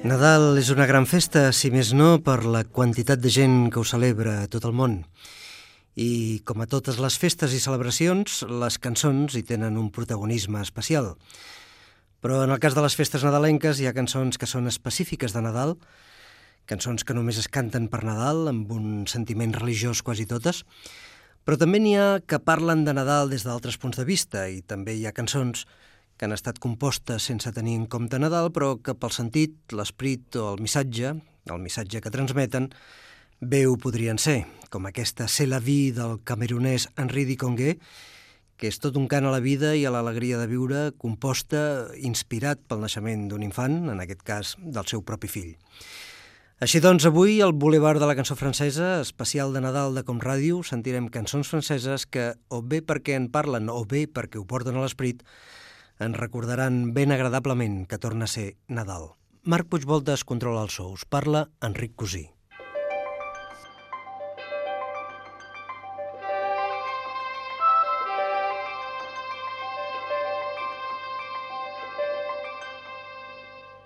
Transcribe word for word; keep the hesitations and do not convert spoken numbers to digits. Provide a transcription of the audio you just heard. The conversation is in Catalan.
Nadal és una gran festa, si més no, per la quantitat de gent que ho celebra a tot el món. I, com a totes les festes i celebracions, les cançons hi tenen un protagonisme especial. Però en el cas de les festes nadalenques hi ha cançons que són específiques de Nadal, cançons que només es canten per Nadal, amb un sentiment religiós quasi totes, però també n'hi ha que parlen de Nadal des d'altres punts de vista, i també hi ha cançons que han estat compostes sense tenir en compte Nadal, però que pel sentit, l'esperit o el missatge, el missatge que transmeten, bé ho podrien ser, com aquesta C'est la vie del camerunès Henri Dikongué, que és tot un cant a la vida i a l'alegria de viure, composta, inspirat pel naixement d'un infant, en aquest cas del seu propi fill. Així doncs, avui, al Boulevard de la Cançó Francesa, especial de Nadal de Com Ràdio, sentirem cançons franceses que, o bé perquè en parlen o bé perquè ho porten a l'esperit, ens recordaran ben agradablement que torna a ser Nadal. Marc Puigvoltes controla els sous. Parla Enric Cosí.